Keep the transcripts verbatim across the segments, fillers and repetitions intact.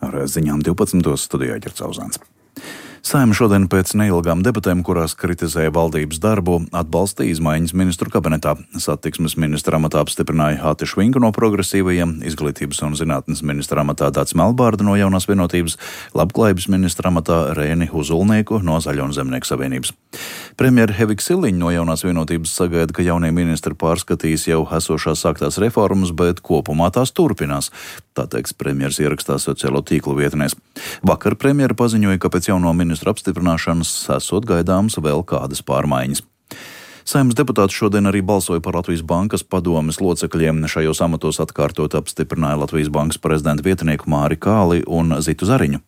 Ar ziņām divpadsmitos studijā Ģercauzāns. Saeima šodien pēc neilgām debatēm, kurās kritizēja valdības darbu, atbalstīja izmaiņas ministru kabinetā. Satiksmes ministra amatā apstiprināja Ati Švinku no Progresīvajiem, izglītības un zinātnes ministra amatā Dācis Melbārda no Jaunās vienotības, labklājības ministra amatā Rēni Huzulnieku no Zaļo un Zemnieku savienības. Premjera Hevika Siliņa no Jaunās vienotības sagaida, ka jaunie ministri pārskatīs jau esošās sāktās reformas, bet kopumā tās turpinās. Tā teiks premjeras ierakstā sociālo tīklu vietnēs. Vakar premjera paziņoja, ka pēc jauno ministru apstiprināšanas esot gaidāms vēl kādas pārmaiņas. Saeimas deputāti šodien arī balsoja par Latvijas bankas padomes locekļiem. Šajos amatos atkārtot apstiprināja Latvijas bankas prezidenta vietnieku Māri Kāli un Zitu Zariņu.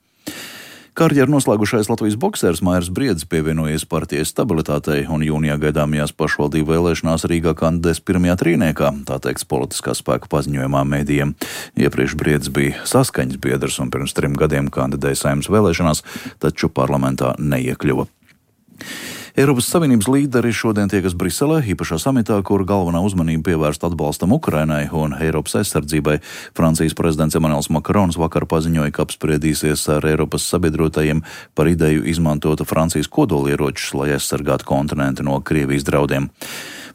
Karjeru noslēgušais Latvijas boksers Mairis Briedis pievienojies partijai Stabilitātei un jūnijā gaidāmajās pašvaldību vēlēšanās Rīgā kandidēs pirmajā trīniekā, tā teiks politiskā spēka paziņojumā medijiem. Iepriekš Briedis bija saskaņas biedrs un pirms trim gadiem kandidēja Saeimas vēlēšanās, taču parlamentā neiekļuva. Eiropas Savienības līderi šodien tiekas Briselē, īpašā samitā, kur galvenā uzmanība pievērsta atbalstam Ukrainai un Eiropas aizsardzībai. Francijas prezidents Emmanuels Macrons vakar paziņoja, ka apspriedīsies ar Eiropas sabiedrotajiem par ideju izmantot Francijas kodolieročus, lai aizsargātu kontinentu no Krievijas draudiem.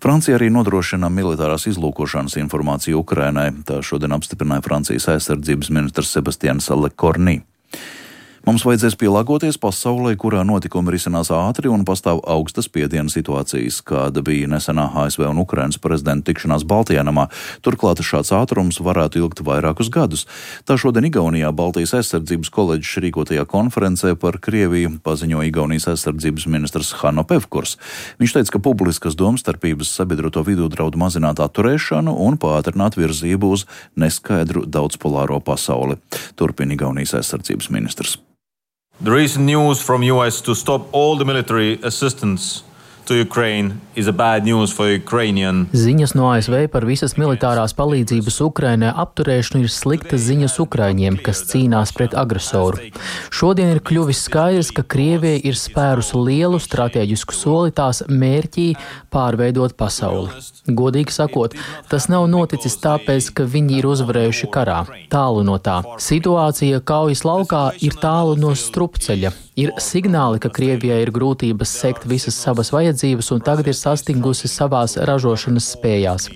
Francija arī nodrošina militārās izlūkošanas informāciju Ukrainai. Tā šodien apstiprināja Francijas aizsardzības ministrs Sebastians Lecornu. Mums vajadzēs pielāgoties pasaulē, kurā notikumi risinās ātri un pastāv augstas spiediena situācijas, kāda bija nesenā A S V un Ukrainas prezidenta tikšanās Baltijā namā. Turklāt šāds ātrums varētu ilgt vairākus gadus. Tā šodien Igaunijā Baltijas aizsardzības koledžas rīkotajā konferencē par Krieviju paziņoja Igaunijas aizsardzības ministrs Hanno Pevkurs. Viņš teica, ka publiskas domstarpības sabiedroto vidū draud mazināt atturēšanu un pātrināt virzību uz neskaidru daudzpolāro pasauli. Turpina Igaunijas aizsardzības ministrs. The recent news from U S to stop all the military assistance to Ukraine is a bad news for Ukrainian. Ziņas no A S V par visas militārās palīdzības Ukrainai apturēšanu ir sliktas ziņas Ukraiņiem, kas cīnās pret agresoru. Šodien ir kļuvis skaidrs, ka Krievija ir spērusi lielu stratēģisku soli tās mērķī pārveidot pasauli. Godīgi sakot, tas nav noticis tāpēc, ka viņi ir uzvarējuši karā. Tālu no tā. Situācija kaujas laukā ir tālu no strupceļa. Ir signāli, ka Krievijai ir grūtības sekt visas savas vajadzības un tagad ir sastingusi savās ražošanas spējās.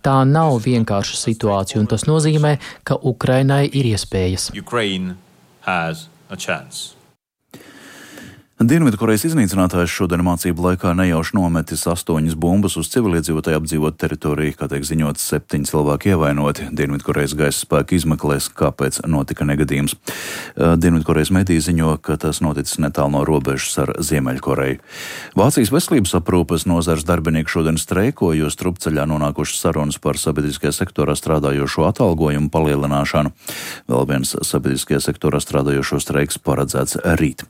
Tā nav vienkārša situācija, un tas nozīmē, ka Ukrainai ir iespējas. Ukraine has a chance. Dienvidkorejas iznīcinātājs šodien mācību laikā nejauši nometis astoņas bumbas uz civiliedzīvotāju apdzīvotu teritoriju, kā tiek ziņots, septiņi cilvēki ievainoti. Dienvidkorejas gaisa spēki izmeklēs, kāpēc notika negadījums. Dienvidkorejas mediji ziņo, ka tas noticis netālu no robežas ar Ziemeļkoreju. Vācijas veselības aprūpes nozares darbinieki šodien streiko, jo strupceļā nonākušas sarunas par sabiedriskajā sektorā strādājošo atalgojumu palielināšanu. Vēl viens sabiedriskajā sektorā strādājošo streiks paredzēts rīt.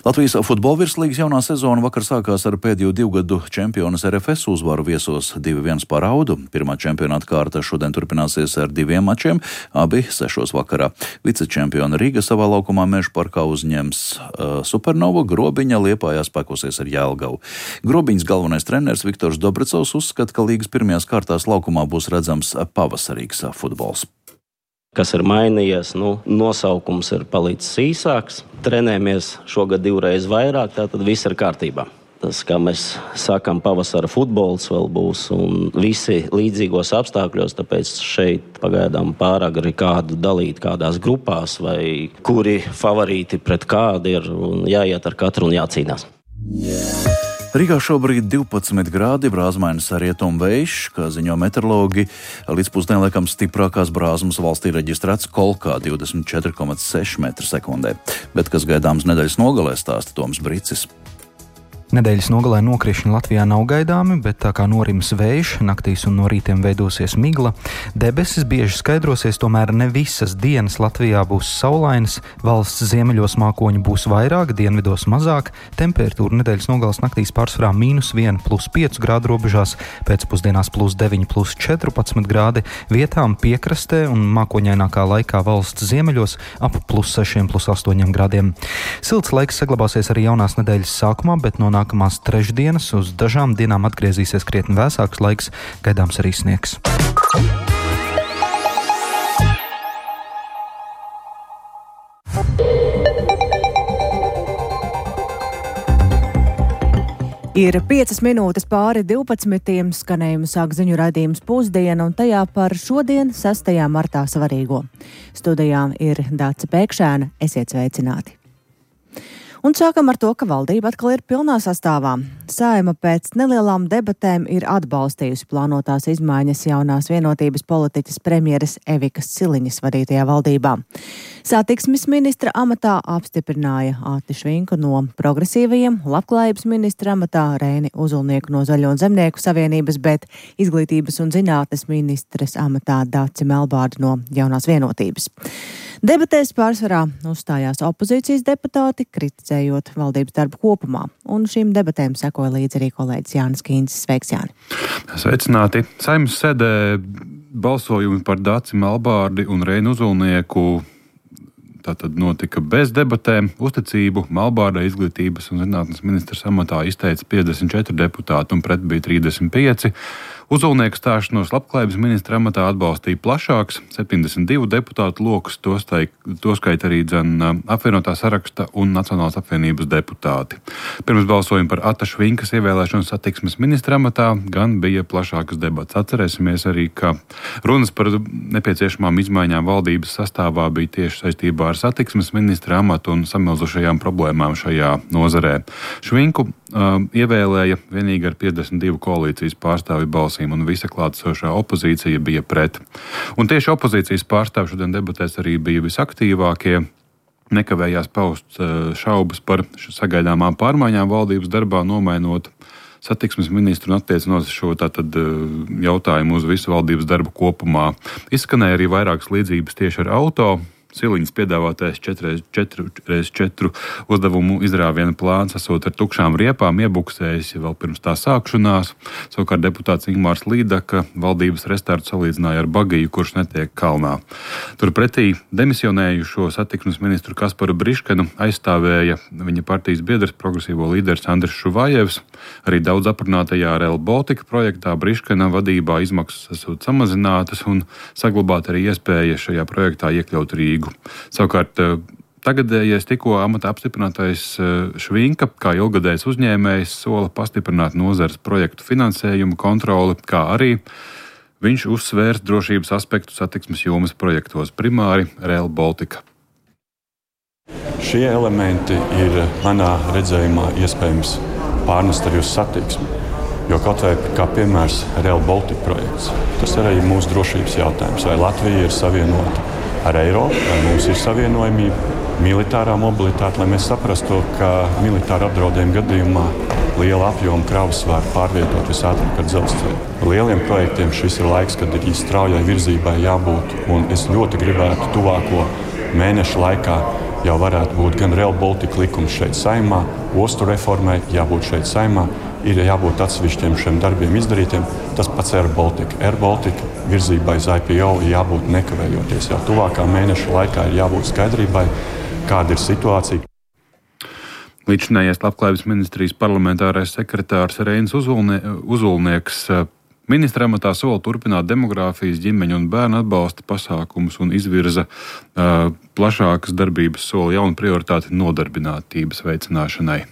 Latvijas futbola virslīgas jaunā sezona vakar sākās ar pēdējo divu gadu čempionas R F S uzvaru viesos divi viens par Audu. Pirmā čempionāta kārta šodien turpināsies ar diviem mačiem, abi sešos vakarā. Vicečempiona Rīga savā laukumā Mežparkā uzņems uh, Supernovu, Grobiņa Liepājā spēkosies ar Jelgavu. Grobiņas galvenais treneris Viktors Dobrecovs uzskata, ka līgas pirmajās kārtās laukumā būs redzams pavasarīgs futbols. Kas ir mainījies, nu, nosaukums ir palicis īsāks, trenējamies šogad divreiz vairāk, tātad viss ir kārtībā. Tas, kā mēs sakam, pavasara futbols vēl būs un visi līdzīgos apstākļos, tāpēc šeit pagaidām pārāk arī kādu dalīt kādās grupās vai kuri favorīti pret kādu ir un jāiet ar katru un jācīnās. Rīgā šobrīd divpadsmit grādi, brāzmainis rietumu vējš, kā ziņo meteorologi. Līdz pusdienlaikam stiprākās brāzmas valstī reģistrēts Kolkā divdesmit četri komats seši metri sekundē. Bet kas gaidāms nedēļas nogalē, stāsta Toms Bricis. Nedēļas nogalē nokrišņi Latvijā nav gaidāmi, bet tā kā norims vējš, naktīs un no rītiem veidosies migla. Debesis bieži skaidrosies, tomēr ne visas dienas Latvijā būs saulainas, valsts ziemeļos mākoņi būs vairāk, dienvidos mazāk, temperatūra nedēļas nogales naktīs pārsvarā mīnus viens plus pieci grādu robežās, pēcpusdienās plus deviņi plus četrpadsmit grādi, vietām piekrastē un mākoņainākā laikā valsts ziemeļos ap plus sešiem plus astoņiem grādiem. Silts laiks saglabāsies arī jaunās nedēļas sākumā, bet no nākamās trešdienas uz dažām dienām atgriezīsies krietni vēsāks laiks, gaidāms arī sniegs. Ir piecas minūtes pāri divpadsmitiem, skanējumu sāk ziņu raidījums Pusdiena, un tajā par šodien, sestajā martā svarīgo. Studijā ir Dāca Pēkšēna, esiet sveicināti. Un sākam ar to, ka valdība atkal ir pilnā sastāvā. Saeima pēc nelielām debatēm ir atbalstījusi plānotās izmaiņas jaunās vienotības politiķes premjeres Evikas Siliņas vadītajā valdībā. Satiksmes ministra amatā apstiprināja Āti Švinku no progresīvajiem, labklājības ministra amatā Reini Uzulnieku no Zaļo un Zemnieku savienības, bet izglītības un zinātnes ministres amatā Daci Melbārdu no Jaunās vienotības. Debatēs pārsvarā uzstājās opozīcijas deputāti, kritizējot valdības darbu kopumā, un šīm debatēm sekoja līdzi arī kolēģis Jānis Kīncis. Sveiks, Jāni! Sveicināti! Saeimas sēdē balsojumi par Daci Melbārdi un Reinu Uzulnieku tātad notika bez debatēm. Uzticību Melbārdai izglītības un zinātnes ministrs amatā izteica piecdesmit četri deputāti un pret bija trīsdesmit pieci. Uzulnieku stāšanos labklājības ministra amatā atbalstīja plašāks septiņdesmit divu deputātu lokus, toskait arī dzen apvienotā saraksta un Nacionālās apvienības deputāti. Pirms balsojuma par Āta Švinkas ievēlēšanu satiksmes ministra amatā gan bija plašākas debats. Atcerēsimies arī, ka runas par nepieciešamām izmaiņām valdības sastāvā bija tieši saistībā ar satiksmes ministra amatu un samilzušajām problēmām šajā nozarē. Švinku uh, ievēlēja vienīgi ar piecdesmit divu koalīcijas pārstāvju balsīm, un visa klātesošā opozīcija bija pret. Un tieši opozīcijas pārstāvji šodien debatēs arī bija visaktīvākie. Nekavējās paust šaubas par sagaidāmām pārmaiņām valdības darbā, nomainot satiksmes ministru un attiecinot šo tātad jautājumu uz visu valdības darbu kopumā. Izskanēja arī vairākas līdzības tieši ar auto. Siliņas piedāvātais četri reiz četru uzdevumu izrāviena plāns esot ar tukšām riepām iebuksējis vēl pirms tā sākšanās. Savukārt deputāts Ingmārs Līdaka valdības restartu salīdzināja ar bagiju, kurš netiek kalnā. Turpretī demisionējušo satiksmes ministru Kasparu Briškenu aizstāvēja viņa partijas biedrs progresīvo līderis Andris Šuvājevs. Arī daudz aprunātajā Rail Baltica projektā Briškena vadībā izmaksas esot samazinātas un saglabāt arī iespēja šajā projektā iekļaut Rīgu. Savukārt tagadējais tikko amatā apstiprinātais Švinka, kā ilgadējs uzņēmējs, sola pastiprināt nozares projektu finansējumu kontroli, kā arī viņš uzsvērs drošības aspektu satiksmes jomas projektos, primāri Rail Baltica. Šie elementi ir manā redzējumā iespējams pārnest arī uz satiksmi, jo kaut vai kā piemērs Rail Baltica projekts, tas ir arī mūsu drošības jautājums, vai Latvija ir savienota ar Eiropu, vai mums ir savienojamība, militārā mobilitāte, lai mēs saprastu, ka militāra apdraudējuma gadījumā liela apjoma kravas var pārvietot visātrāk ar dzelzceļu. Lieliem projektiem šis ir laiks, kad ir straujai virzībai jābūt, un es ļoti gribētu tuvāko mēnešu laikā jau varētu būt gan Rail Baltica likums šeit Saeimā, ostu reformai jābūt šeit Saeimā, ir jābūt atsevišķiem šiem darbiem izdarītiem. Tas pats Air Baltica. Air Baltica virzībai uz I P O ir jābūt nekavējoties. Jau tuvākā mēneša laikā ir jābūt skaidrībai, kāda ir situācija. Līdzinājais labklājības ministrijas parlamentārais sekretārs Reinis Uzulnie, Uzulnieks ministra amatā sola turpināt demogrāfijas, ģimeņu un bērnu atbalsta pasākumus un izvirza uh, plašākas darbības sola jaunu prioritāti nodarbinātības veicināšanai.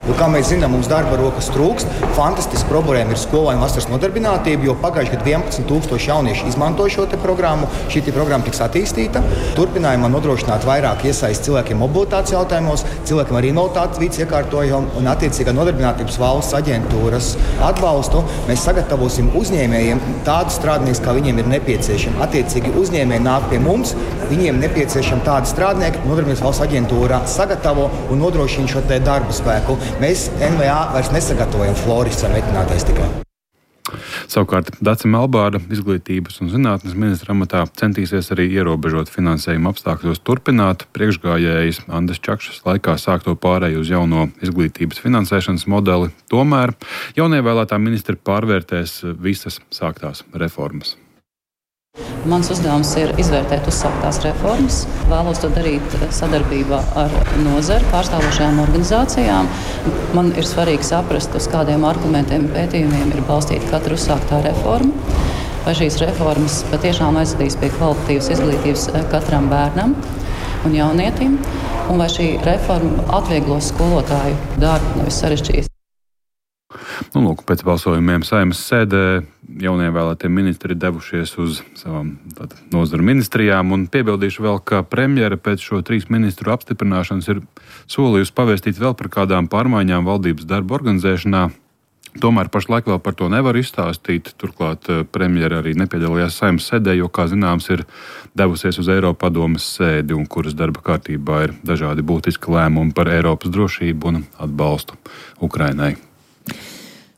Jo, kā mēs zinām, mums darba rokas trūkst. Fantastiski problēma ir skolēnu vasaras nodarbinātība, jo pagājuši gadu vienpadsmit tūkstoši jaunieši izmanto šo te programmu. Šī te programma tiks attīstīta. Turpinājumā nodrošināt vairāk iesaist cilvēkiem mobilitātes jautājumos, cilvēkiem ar invaliditātes vīdes iekārtojumu un attiecīgā nodarbinātības valsts aģentūras atbalstu. Mēs sagatavosim uzņēmējiem tādus strādniekus, kā viņiem ir nepieciešami. Attiecīgi uzņēmēji nāk pie mums, viņiem nepieciešami tādi strādnieki, nodarbinātības valsts aģentūrā sagatavo un nodrošina šo te darbu spēku. Mēs N V A vairs nesagatavojam florists vai metinātais tikai. Savukārt Dace Melbārda izglītības un zinātnes ministra amatā centīsies arī ierobežot finansējuma apstākļos turpināt priekšgājējs Andris Čakšas laikā sākto pārēju uz jauno izglītības finansēšanas modeli. Tomēr jaunievēlētā ministra pārvērtēs visas sāktās reformas. Mans uzdevums ir izvērtēt uzsāktās reformas. Vēlos to darīt sadarbībā ar nozari, pārstāvošajām organizācijām. Man ir svarīgi saprast, uz kādiem argumentiem un pētījumiem ir balstīta katra uzsāktā reforma. Vai šīs reformas patiešām aizvedīs pie kvalitatīvas izglītības katram bērnam un jaunietim. un vai šī reforma atvieglos skolotāju darbu, nevis sarežģīs. Nu, lūk, pēc balsojumiem Saeimas sēdē jaunievēlētie ministri devušies uz savām nozaru ministrijām, un piebildīšu vēl, ka premjera pēc šo trīs ministru apstiprināšanas ir solījusi pavēstīt vēl par kādām pārmaiņām valdības darba organizēšanā. Tomēr pašlaik vēl par to nevar izstāstīt. Turklāt premjera arī nepiedalījās Saeimas sēdē, jo, kā zināms, ir devusies uz Eiropadomes sēdi, un kuras darba kārtībā ir dažādi būtiski lēmumi par Eiropas drošību un atbalstu Ukrainai.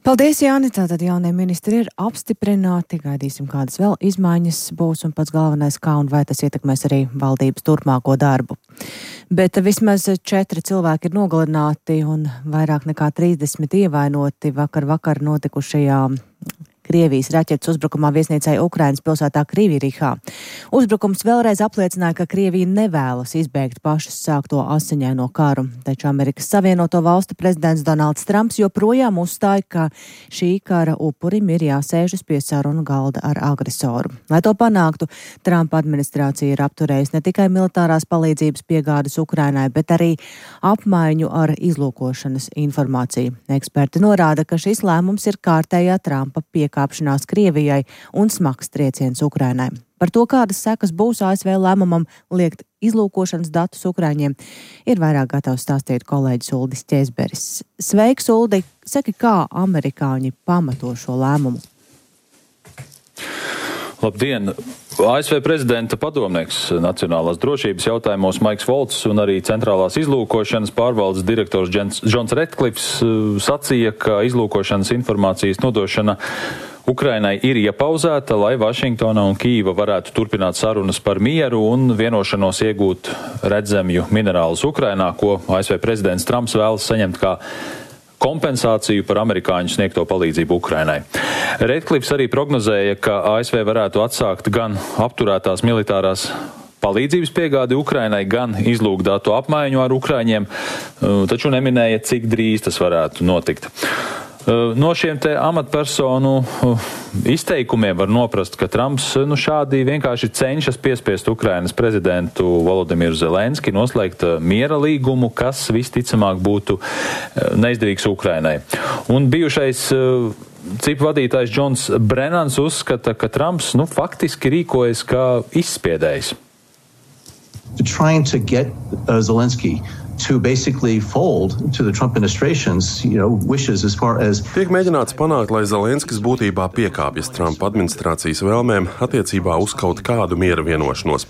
Paldies, Jāni. Tātad jaunie ministri ir apstiprināti. Gaidīsim, kādas vēl izmaiņas būs, un pats galvenais, kā un vai tas ietekmēs arī valdības turpmāko darbu. Bet vismaz četri cilvēki ir nogalināti un vairāk nekā trīsdesmit ievainoti vakar vakar notikušajā Krievijas raķetes uzbrukumā viesnīcai Ukrainas pilsētā Krivirihā. Uzbrukums vēlreiz apliecināja, ka Krievija nevēlas izbeigt pašas sākto asiņaino karu, taču Amerikas Savienoto Valstu prezidents Donalds Trumps joprojām uzstāja, ka šī kara upurim ir jāsēžas pie sarunu galda ar agresoru. Lai to panāktu, Trumpa administrācija ir apturējusi ne tikai militārās palīdzības piegādes Ukrainai, bet arī apmaiņu ar izlūkošanas informāciju. Eksperti norāda, ka šis lēmums ir kārtējā Trumpa piekāpšanās Krievijai un smags trieciens Ukrainai. Par to, kādas sekas būs A S V lēmumam liekt izlūkošanas datus Ukraiņiem, ir vairāk gatavs stāstīt kolēģis Uldis Ķēzberis. Sveiks, Uldi! Saki, kā amerikāņi pamato šo lēmumu? Labdien! A S V prezidenta padomnieks nacionālās drošības jautājumos Maiks Volts un arī centrālās izlūkošanas pārvaldes direktors Džons Redklifs sacīja, ka izlūkošanas informācijas nodošana Ukrainai ir iepauzēta, lai Vašingtona un Kīva varētu turpināt sarunas par mieru un vienošanos iegūt redzemju minerālus Ukrainā, ko A S V prezidents Trumps vēlas saņemt kā kompensāciju par amerikāņu sniegto palīdzību Ukrainai. Redklifs arī prognozēja, ka A S V varētu atsākt gan apturētās militārās palīdzības piegādi Ukrainai, gan izlūkdatu apmaiņu ar Ukraiņiem, taču neminēja, cik drīz tas varētu notikt. No šiem te amatpersonu izteikumiem var noprast, ka Trumps nu, šādi vienkārši cenšas piespiest Ukrainas prezidentu Volodimiru Zelenski noslēgt miera līgumu, kas visticamāk būtu neizdevīgs Ukrainai. Un bijušais cipu vadītājs Džons Brennans uzskata, ka Trumps nu, faktiski rīkojas kā izspiedējs. Trying to get uh, Zelensky to basically fold to the Trump administration's, you know, wishes as far as... Tiek mēģināts panākt, lai Zelenskis būtībā piekāpjas Trumpa administrācijas vēlmēm attiecībā uz kaut kādu miera vienošanos,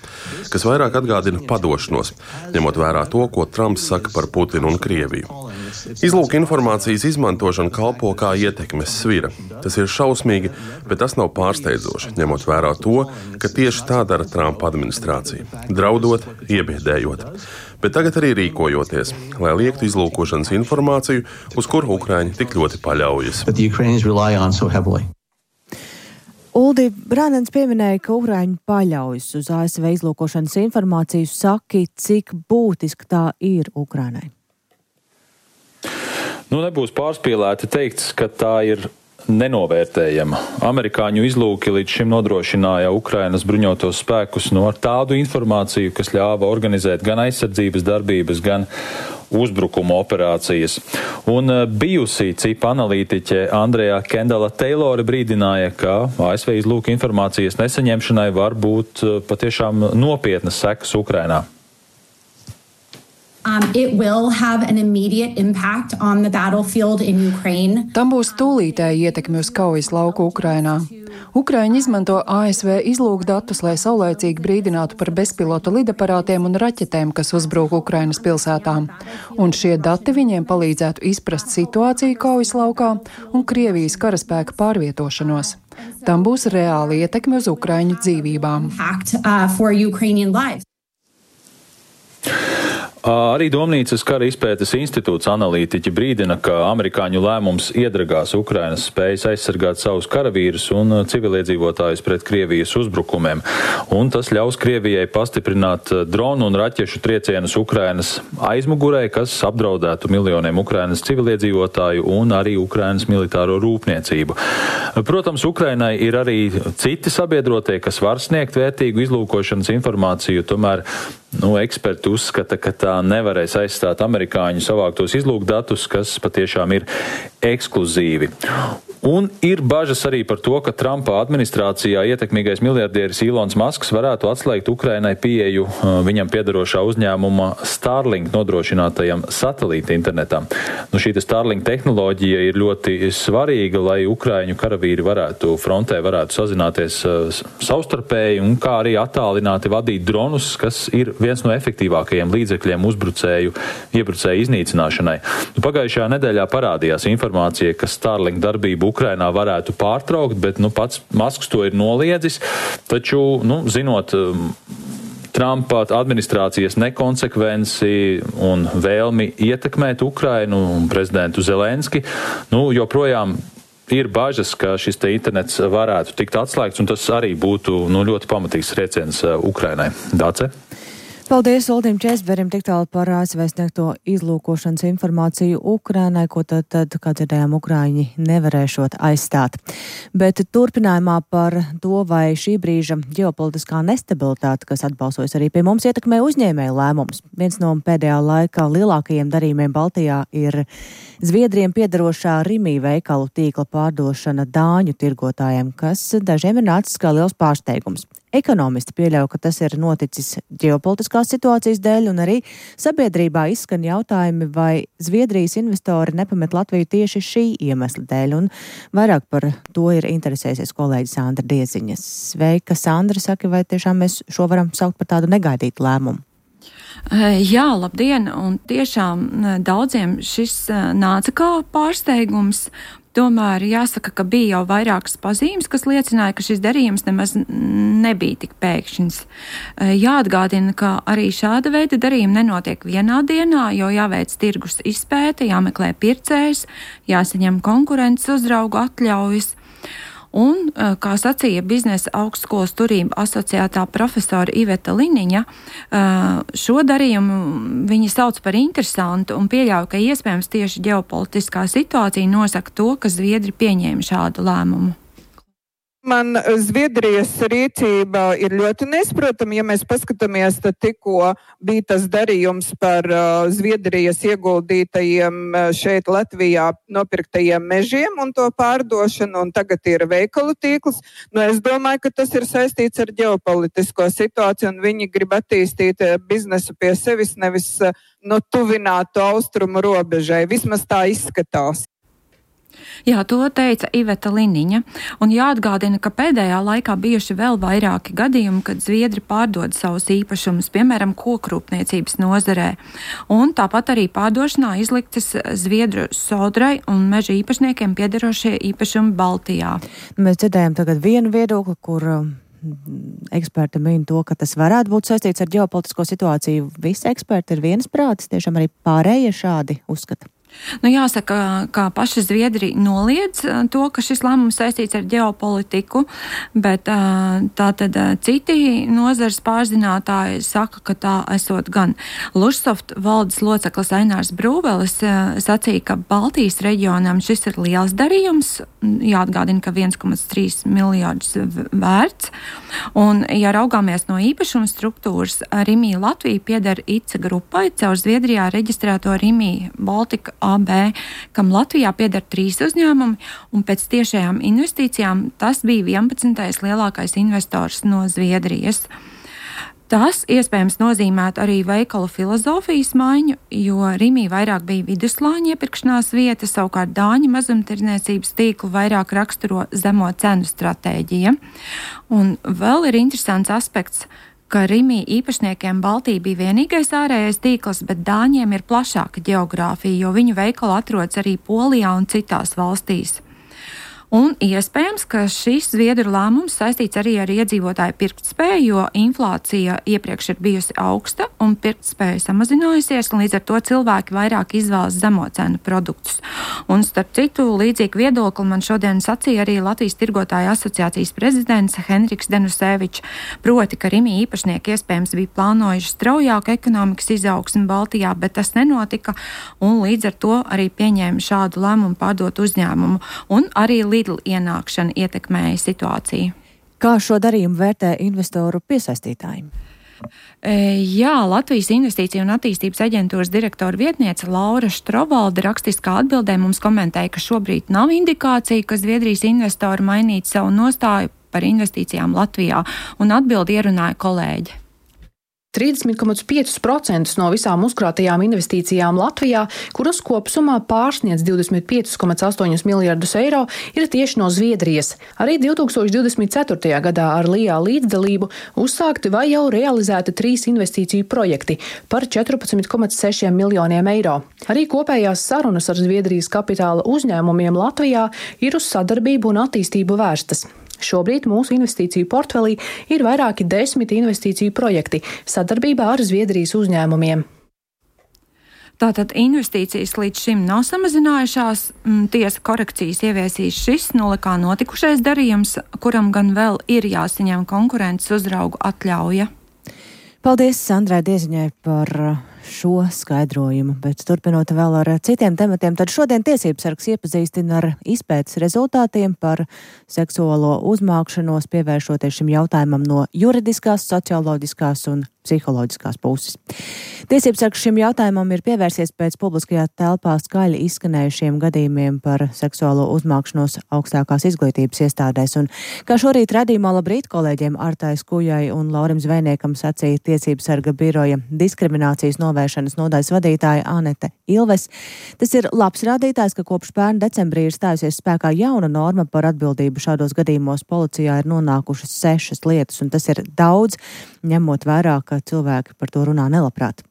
kas vairāk atgādina padošanos, ņemot vērā to, ko Trumps saka par Putinu un Krieviju. Izlūka informācijas izmantošana kalpo kā ietekmes svira. Tas ir šausmīgi, bet tas nav pārsteidzoši, ņemot vērā to, ka tieši tā dara Trumpa administrācija, draudot, iebiedējot. Bet tagad arī rīkojoties, lai liektu izlūkošanas informāciju, uz kuru Ukraiņi tik ļoti paļaujas. So Uldi, Brānens pieminēja, ka Ukraiņi paļaujas uz A S V izlūkošanas informāciju. Saki, cik būtiski tā ir Ukrainai? Nu, nebūs pārspīlēti teikts, ka tā ir nenovērtējama. Amerikāņu izlūki līdz šim nodrošināja Ukrainas bruņotos spēkus no ar tādu informāciju, kas ļāva organizēt gan aizsardzības darbības, gan uzbrukuma operācijas. Un bijusī cipa analītiķe Andreja Kendala Taylore brīdināja, ka A S V izlūka informācijas nesaņemšanai var būt patiešām nopietnas sekas Ukrainā. Um, it will have an immediate impact on the battlefield in Ukraine. Tam būs tūlītēji ietekmi uz kaujas lauku Ukrainā. Ukraiņi izmanto A S V izlūkdatus, lai saulēcīgi brīdinātu par bezpilota lidaparātiem un raķetēm, kas uzbrūk Ukrainas pilsētām. Un šie dati viņiem palīdzētu izprast situāciju kaujas laukā un Krievijas karaspēka pārvietošanos. Tam būs reāli ietekmi uz Ukraiņu dzīvībām. Impact, uh, for Ukrainian lives. Arī Domnīcas kara izpētes institūts analītiķi brīdina, ka amerikāņu lēmums iedragās Ukrainas spējas aizsargāt savus karavīrus un civiliedzīvotājus pret Krievijas uzbrukumiem. Un tas ļaus Krievijai pastiprināt dronu un raķešu triecienus Ukrainas aizmugurē, kas apdraudētu miljoniem Ukrainas civiliedzīvotāju un arī Ukrainas militāro rūpniecību. Protams, Ukrainai ir arī citi sabiedrotie, kas var sniegt vērtīgu izlūkošanas informāciju, tomēr Nu, eksperti uzskata, ka tā nevarēs aizstāt amerikāņu savāktos izlūkdatus, kas patiešām ir ekskluzīvi. Un ir bažas arī par to, ka Trumpa administrācijā ietekmīgais miljardieris Ilons Masks varētu atslēgt Ukrainai pieeju viņam piedarošā uzņēmuma Starlink nodrošinātajam satelīta internetam. Nu, šī Starlink tehnoloģija ir ļoti svarīga, lai ukraiņu karavīri varētu frontē varētu sazināties savstarpēji un kā arī attālināti vadīt dronus, kas ir viens no efektīvākajiem līdzekļiem uzbrucēju, iebrucēju iznīcināšanai. Nu, pagājušajā nedēļā parādījās informācija, ka Starlink darbību Ukrainā varētu pārtraukt, bet nu, pats Masks to ir noliedzis. Taču, nu, zinot Trumpa administrācijas nekonsekvenci un vēlmi ietekmēt Ukrainu un prezidentu Zelenski, nu, joprojām ir bažas, ka šis te internets varētu tikt atslēgts, un tas arī būtu nu, ļoti pamatīgs trieciens Ukrainai. Dāce? Paldies Uldim Česberim tik tālu par A S V sniegto izlūkošanas informāciju Ukrainai, ko tad, tad kā dzirdējām, Ukraiņi nevarēšot aizstāt. Bet turpinājumā par to, vai šī brīža ģeopolitiskā nestabilitāte, kas atbalsojas arī pie mums, ietekmē uzņēmēju lēmumus. Viens no pēdējā laikā lielākajiem darījumiem Baltijā ir Zviedriem piedarošā Rimi veikalu tīkla pārdošana dāņu tirgotājiem, kas dažiem ir nācis kā liels pārsteigums. Ekonomisti pieļauj, ka tas ir noticis ģeopolitiskās situācijas dēļ, un arī sabiedrībā izskan jautājumi, vai Zviedrijas investori nepamet Latviju tieši šī iemesla dēļ, un vairāk par to ir interesēsies kolēģi Sandra Dieziņa. Sveika, Sandra, saka, vai tiešām mēs šo varam saukt par tādu negaidītu lēmumu? Jā, labdien, un tiešām daudziem šis nāca kā pārsteigums. Tomēr jāsaka, ka bija jau vairākas pazīmes, kas liecināja, ka šis darījums nemaz nebija tik pēkšņs. Jāatgādina, ka arī šāda veida darījumi nenotiek vienā dienā, jo jāveic tirgus izpēte, jāmeklē pircējs, jāsaņem konkurences uzraugu atļaujas. Un, kā sacīja biznesa augstskolas turība asociētā profesora Iveta Liniņa, šo darījumu viņi sauc par interesantu un pieļauj, ka iespējams tieši ģeopolitiskā situācija nosaka to, ka Zviedri pieņēma šādu lēmumu. Man Zviedrijas rīcība ir ļoti nesaprotama. Ja mēs paskatāmies, tad tikko bija tas darījums par uh, Zviedrijas ieguldītajiem uh, šeit Latvijā nopirktajiem mežiem un to pārdošanu, un tagad ir veikalu tīkls. Nu, es domāju, ka tas ir saistīts ar ģeopolitisko situāciju, un viņi grib attīstīt uh, biznesu pie sevis, nevis uh, no tuvinātu austrumu robežai. Vismaz tā izskatās. Jā, to teica Iveta Liniņa, un jāatgādina, ka pēdējā laikā bijuši vēl vairāki gadījumi, kad Zviedri pārdod savus īpašumus, piemēram, kokrūpniecības nozarē, un tāpat arī pārdošanā izliktas Zviedru sodrai un meža īpašniekiem piederošie īpašumi Baltijā. Mēs dzirdējam tagad vienu viedokli, kur eksperti min to, ka tas varētu būt saistīts ar ģeopolitisko situāciju. Visi eksperti ir viensprātis, tiešām arī pārējie šādi uzskata. Nu, jāsaka, ka paši Zviedri noliedz to, ka šis lēmums saistīts ar ģeopolitiku, bet tātad citi nozars pārzinātāji saka, ka tā esot gan. Lužsoft valdes loceklis Ainārs Brūvelis sacīja, ka Baltijas reģionam šis ir liels darījums, jāatgādina, ka viens komats trīs miljārdus vērts, un, ja raugāmies no īpašuma struktūras, Rimi Latvija pieder ICA grupai caur Zviedrijā reģistrēto Rimi Baltika A B, kam Latvijā pieder trīs uzņēmumi, un pēc tiešajām investīcijām tas bija vienpadsmitais lielākais investors no Zviedrijas. Tas iespējams nozīmētu arī veikalu filozofijas maiņu, jo Rimi vairāk bija viduslāņa iepirkšanās vieta, savukārt dāņu mazumtirdzniecības tīklu vairāk raksturo zemo cenu stratēģija. Un vēl ir interesants aspekts, ka Rimi īpašniekiem Baltija bija vienīgais ārējais tīkls, bet dāņiem ir plašāka ģeogrāfija, jo viņu veikali atrodas arī Polijā un citās valstīs. Un iespējams, ka šis Zviedru lēmums saistīts arī ar iedzīvotāju pirktspēju, jo inflācija iepriekš ir bijusi augsta un pirktspēja samazinājusies, un līdz ar to cilvēki vairāk izvēlas zemo cenu produktus. Un starp citu, līdzīgu viedokli man šodien sacīja arī Latvijas tirgotāju asociācijas prezidents Henriks Denusevičs, proti, ka Rimi īpašnieki iespējams bija plānojuši straujāku ekonomikas izaugsmi Baltijā, bet tas nenotika, un līdz ar to arī pieņēma šādu lēmumu pārdot uzņēmumu, un arī Lidl ienākšana ietekmēja situāciju. Kā šo darījumu vērtē investoru piesaistītāji? Jā, Latvijas Investīciju un attīstības aģentūras direktora vietniece Laura Štrovalde rakstiskā atbildē mums komentēja, ka šobrīd nav indikācija, ka Zviedrijas investori mainītu savu nostāju par investīcijām Latvijā, un atbildi ierunāja kolēģi. trīsdesmit komats pieci procenti no visām uzkrātajām investīcijām Latvijā, kuras kopsumā pārsniedz divdesmit pieci komats astoņi miljardus eiro, ir tieši no Zviedrijas. Arī divtūkstoš divdesmit ceturtajā gadā ar Lijā līdzdalību uzsākti vai jau realizēti trīs investīciju projekti par četrpadsmit komats seši miljoniem eiro. Arī kopējās sarunas ar Zviedrijas kapitāla uzņēmumiem Latvijā ir uz sadarbību un attīstību vērstas. Šobrīd mūsu investīciju portfelī ir vairāki desmit investīciju projekti sadarbībā ar Zviedrijas uzņēmumiem. Tātad investīcijas līdz šim nav samazinājušās, tiesa korekcijas ieviesīs šis nolikā notikušais darījums, kuram gan vēl ir jāsaņem konkurences uzraugu atļauja. Paldies Sandrai Dieziņai par šo skaidrojumu, bet turpinot vēl ar citiem tematiem, tad šodien tiesības sargs iepazīstina ar izpētes rezultātiem par seksuālo uzmākšanos, pievēršoties šim jautājumam no juridiskās, socioloģiskās un psiholoģiskās puses. Tiesības sargs šim jautājumam ir pievērsies pēc publiskajā telpā skaļi izskanējušiem gadījumiem par seksuālo uzmākšanos augstākās izglītības iestādēs, un kā šorīt radījumā Labrīt kolēģiem Artai Skujai un Laurim Zvejniekam sacīja tiesības sarga biroja diskriminācijas novēršanas nodaļas vadītāja Anete Ilves. Tas ir labs rādītājs, ka kopš pērn decembrī ir stājusies spēkā jauna norma par atbildību. Šādos gadījumos policijā ir nonākušas sešas lietas, un tas ir daudz, ņemot vērā, ka cilvēki par to runā nelabprāt.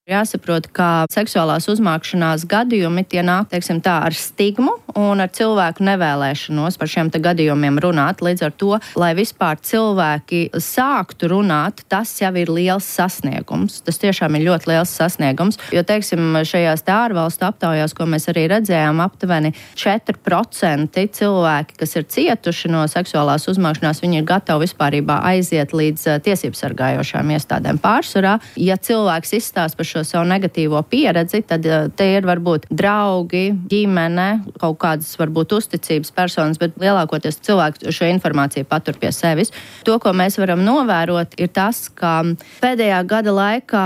Jāsaprot, ka seksuālās uzmākšanās gadījumi tie nāk, teiksim tā, ar stigmu un ar cilvēku nevēlēšanos par šiem te gadījumiem runāt. Līdz ar to, lai vispār cilvēki sāktu runāt, tas jau ir liels sasniegums. Tas tiešām ir ļoti liels sasniegums, jo, teiksim, šajās te ārvalstu aptaujās, ko mēs arī redzējām, aptuveni četri procenti cilvēki, kas ir cietuši no seksuālās uzmākšanās, viņi ir gatavi vispārībā aiziet līdz tiesības sargājošām iestādēm pārsvarā. Ja cilvēks izstāsta par šo savu negatīvo pieredzi, tad te ir varbūt draugi, ģimene, kaut kādas varbūt uzticības personas, bet lielākoties cilvēki šo informāciju patur pie sevis. To, ko mēs varam novērot, ir tas, ka pēdējā gada laikā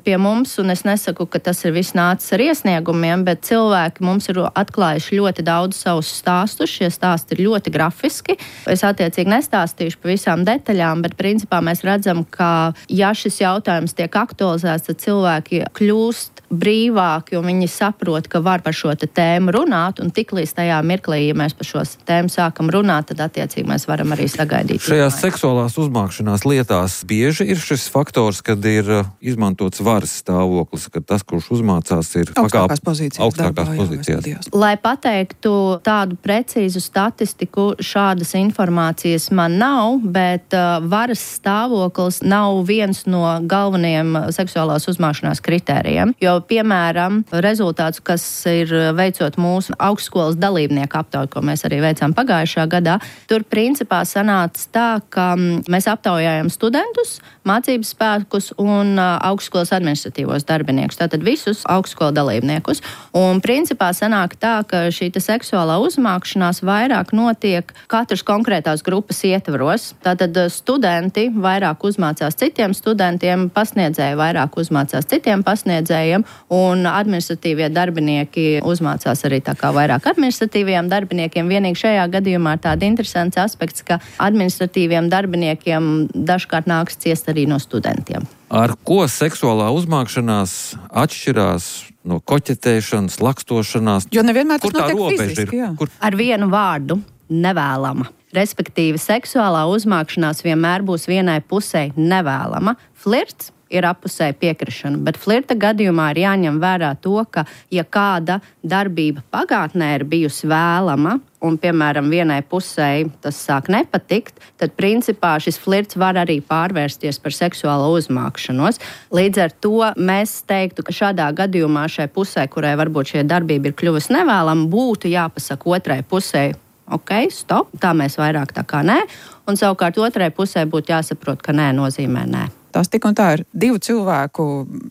pie mums, un es nesaku, ka tas ir viss nācis ar iesniegumiem, bet cilvēki mums ir atklājuši ļoti daudz savus stāstus. Šie stāsti ir ļoti grafiski. Es attiecīgi nestāstīšu pa visām detaļām, bet principā mēs redzam, ka ja šis jautājums tiek aktualizēts, tad cilvēki kļūst brīvāki, un viņi saprot, ka var par šo tēmu runāt, un tiklīdz tajā mirklī, ja mēs par šo tēmu sākam runāt, tad attiecīgi mēs varam arī sagaidīt. Šajās seksuālās uzmākšanās lietās bieži ir šis faktors, kad ir izmantots varas stāvoklis, kad tas, kurš uzmācās, ir augstākās pozīcijas. Augstākās pozīcijās. Lai pateiktu tādu precīzu statistiku, šādas informācijas man nav, bet uh, varas stāvoklis nav viens no galvenajiem seksuālās uzmākšanās kritērijiem, jo, piemēram, rezultāts, kas ir veicot mūsu augstskolas dalībnieku aptauju, ko mēs arī veicām pagājušā gadā, tur principā sanāca tā, ka mēs aptaujājam studentus, mācības spēkus un augstskolas administratīvos darbiniekus, tātad visus augstskola dalībniekus. Un principā sanāk tā, ka šī seksuālā uzmākšanās vairāk notiek katras konkrētās grupas ietvaros. Tātad studenti vairāk uzmācās citiem studentiem, pasniedzēji vairāk uzmācās citiem pasniedzējiem, un administratīvie darbinieki uzmācās arī tā kā vairāk administratīviem darbiniekiem. Vienīgi šajā gadījumā ir tāda interesants aspekts, ka administratīviem darbiniekiem dažkārt nāks ciest arī no studentiem. Ar ko seksuālā uzmākšanās atšķirās no koķetēšanas, lakstošanās? Jo nevienmēr tas notiek fiziski, jā. Kur... Ar vienu vārdu - nevēlama. Respektīvi, seksuālā uzmākšanās vienmēr būs vienai pusē nevēlama. Flirts ir appusēja piekrišana, bet flirta gadījumā ir jāņem vērā to, ka, ja kāda darbība pagātnē ir bijusi vēlama, un, piemēram, vienai pusē tas sāk nepatikt, tad, principā, šis flirts var arī pārvērsties par seksuālo uzmākšanos. Līdz ar to mēs teiktu, ka šādā gadījumā šai pusē, kurai varbūt šie darbība ir kļuvusi nevēlama, būtu jāpasaka otrai pusē, ok, stop, tā mēs vairāk tā kā nē, un savukārt otrai pusē būtu jāsaprot, ka nē nozīmē nē. Tas tik un tā ir divu cilvēku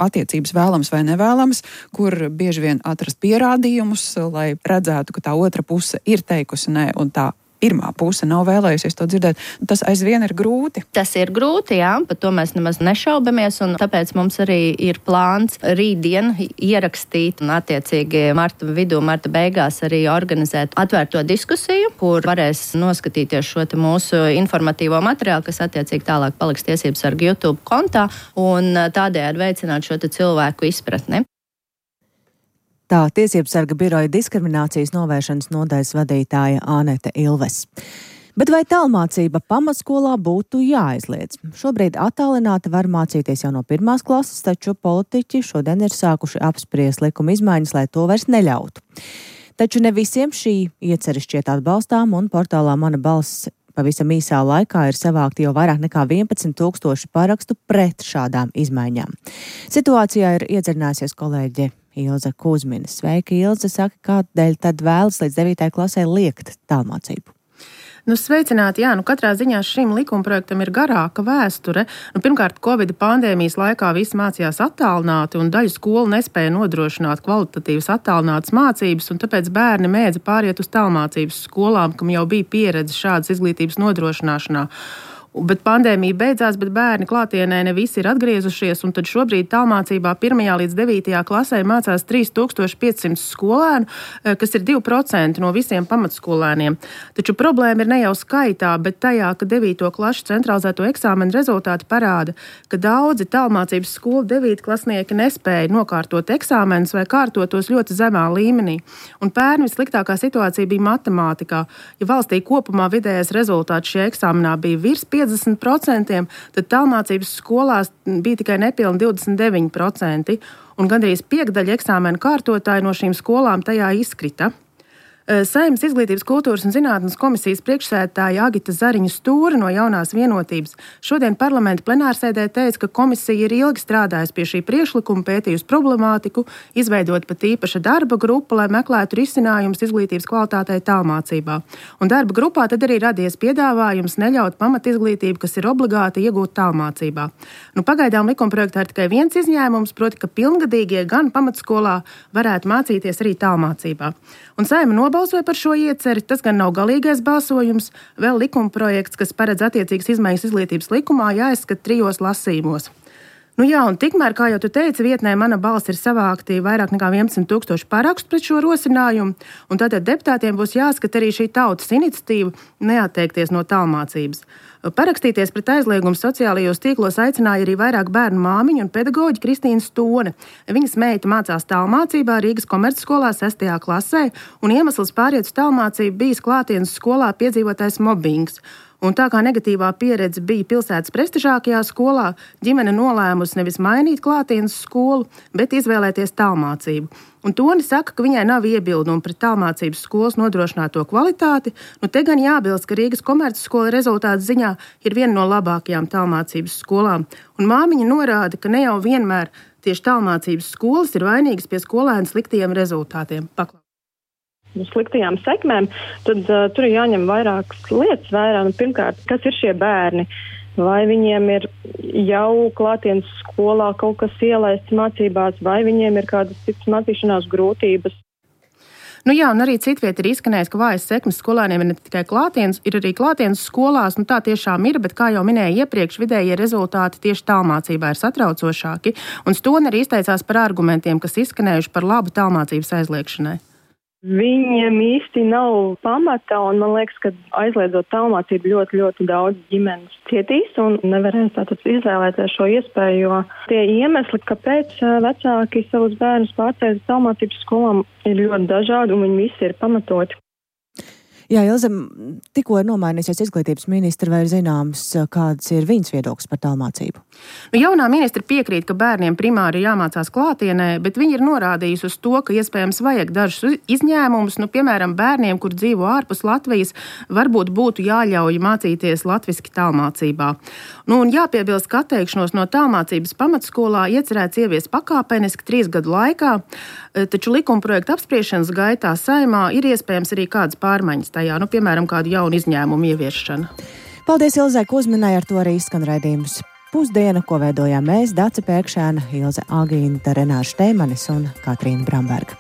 attiecības vēlams vai nevēlams, kur bieži vien atrast pierādījumus, lai redzētu, ka tā otra puse ir teikusi nē, un tā pirmā puse nav vēlējusies to dzirdēt. Tas aizvien ir grūti. Tas ir grūti, jā, par to mēs nemaz nešaubamies, un tāpēc mums arī ir plāns rītdien ierakstīt un attiecīgi marta vidū, marta beigās arī organizēt atvērto diskusiju, kur varēs noskatīties šo te mūsu informatīvo materiālu, kas attiecīgi tālāk paliks tiesības sarga YouTube kontā, un tādējādi veicināt šo te cilvēku izpratni. Tā Tiesības sarga biroja diskriminācijas novēršanas nodaļas vadītāja Ānete Ilves. Bet vai tālmācība pamatskolā būtu jāaizliedz? Šobrīd attālināti var mācīties jau no pirmās klases, taču politiķi šodien ir sākuši apspriest likuma izmaiņas, lai to vairs neļautu. Taču ne visiem šī ieceri šķiet atbalstām, un portālā Mana balss pavisam īsā laikā ir savākti jau vairāk nekā vienpadsmit tūkstoši parakstu pret šādām izmaiņām. Situācijā ir iedziļinājusies kolēģe Ilze Kuzmina. Sveika, Ilze, saka, kādēļ tad vēlas līdz devītajai klasē liekt tālmācību? Nu, sveicināti, jā, nu katrā ziņā šim likumprojektam ir garāka vēsture. Nu, pirmkārt, Covid pandēmijas laikā visi mācījās attālināti, un daļa skolu nespēja nodrošināt kvalitatīvas attālinātas mācības, un tāpēc bērni mēdza pāriet uz tālmācības skolām, kam jau bija pieredze šādas izglītības nodrošināšanā. Bet pandēmija beidzās, bet bērni klātienē ne visi ir atgriezušies, un tad šobrīd tālmācībā pirmajā līdz devītajā klasē mācās trīs tūkstoši piecsimt skolēnu, kas ir divi procenti no visiem pamatskolēniem. Taču problēma ir ne jau skaitā, bet tajā, ka devīto klašu centralizēto eksāmenu rezultāti parāda, ka daudzi tālmācības skolu devītklasnieki nespēja nokārtot eksāmenus vai kārtotos ļoti zemā līmenī. Un pērn vissliktākā situācija bija matemātikā. Ja valstī kopumā vidējais rezultāts šajā eksāmenā bija virs piecdesmit procenti, tad tālmācības skolās bija tikai nepilni divdesmit deviņi procenti, un gandrīz piekdaļa eksāmenu kārtotāji no šīm skolām tajā izkrita. Saeimas Izglītības, kultūras un zinātnes komisijas priekšsēdētāja Agita Zariņa Stūra no Jaunās vienotības šodien parlamenta plenārsēdē teica, ka komisija ir ilgi strādājusi pie šī priekšlikuma, pētījusi problemātiku, izveidot pat īpaša darba grupu, lai meklētu risinājumus izglītības kvalitātei tālmācībā. Un darba grupā tad arī radies piedāvājums neļaut pamatizglītību, kas ir obligāti iegūt tālmācībā. Nu, pagaidām likumprojektā ir tikai viens izņēmums, proti, ka pilngadīgie gan pamatskolā varētu mācīties arī tālmācībā. Un Saeima nobalsoja par šo ieceri, tas gan nav galīgais balsojums, vēl likumprojekts, kas paredz attiecīgas izmaiņas izglītības likumā, jāizskata trijos lasījumos. Nu jā, un tikmēr, kā jau tu teici, vietnē Mana balss ir savākti vairāk nekā vienpadsmit tūkstoši parakstu pret šo rosinājumu, un tātad deputātiem būs jāskata arī šī tautas iniciatīva neatteikties no tālmācības. Parakstīties pret aizliegumu sociālajos tīklos aicināja arī vairāk bērnu māmiņu un pedagoģi Kristīna Stone. Viņas meita mācās tālmācībā Rīgas komercskolā sestajā klasē, un iemesls pāriet uz tālmācību bijis klātienes skolā piedzīvotais mobbings. Un tā kā negatīvā pieredze bija pilsētas prestižākajā skolā, ģimene nolēmusi nevis mainīt klātienes skolu, bet izvēlēties tālmācību. Un Toni saka, ka viņai nav iebildumu pret tālmācības skolas nodrošināto kvalitāti. Nu, te gan jābilst, ka Rīgas komercskola rezultātu ziņā ir viena no labākajām tālmācības skolām. Un māmiņa norāda, ka ne jau vienmēr tieši tālmācības skolas ir vainīgas pie skolēnu sliktajiem rezultātiem. Paklā. Sliktajām sekmēm, tad uh, tur ir jāņem vairākas lietas vērā. Nu, pirmkārt, kas ir šie bērni? Vai viņiem ir jau klātienes skolā kaut kas ielaists mācībās, vai viņiem ir kādas citas mācīšanās grūtības? Nu jā, un arī citviet ir izskanējis, ka vājas sekmes skolēniem ir ne tikai klātienes, ir arī klātienes skolās, nu tā tiešām ir, bet kā jau minēja iepriekš, vidējie rezultāti tieši tālmācībā ir satraucošāki, un Stone arī izteicās par argumentiem, kas izskanējuši par labu tālmācības aizliekšanai. Viņiem īsti nav pamata, un man liekas, ka aizliedzot tālmācību ļoti, ļoti daudz ģimenes cietīs un nevarēs tātad izvēlēties šo iespēju, jo tie iemesli, kāpēc vecāki savus bērnus pārceļ uz tālmācības skolām, ir ļoti dažādi, un viņi visi ir pamatoti. Jā, Ilze, tikko ir nomainīsies izglītības ministra, vai ir zināms, kāds ir viņas viedoklis par tālmācību? Nu, jaunā ministra piekrīt, ka bērniem primāri jāmācās klātienē, bet viņi ir norādījusi uz to, ka iespējams vajag dažus izņēmumus, nu, piemēram, bērniem, kur dzīvo ārpus Latvijas, varbūt būtu jāļauj mācīties latviski tālmācībā. Nu, un jāpiebilst, ka atteikšanos no tālmācības pamatskolā iecerēts ievies pakāpeniski trīs gadu laikā, taču likumprojekta apspriešanas gaitā Saeimā ir iespējams arī kādas pārmaiņas tajā, nu, piemēram, kādu jaunu izņēmumu ieviešana. Paldies Ilzei Kuzminai, ar to arī izskan raidījums Pusdiena, ko veidojām mēs, Dace Pēkšēna, Ilze Agīnta, Renāša Šteimanis un Katrīna Bramberga.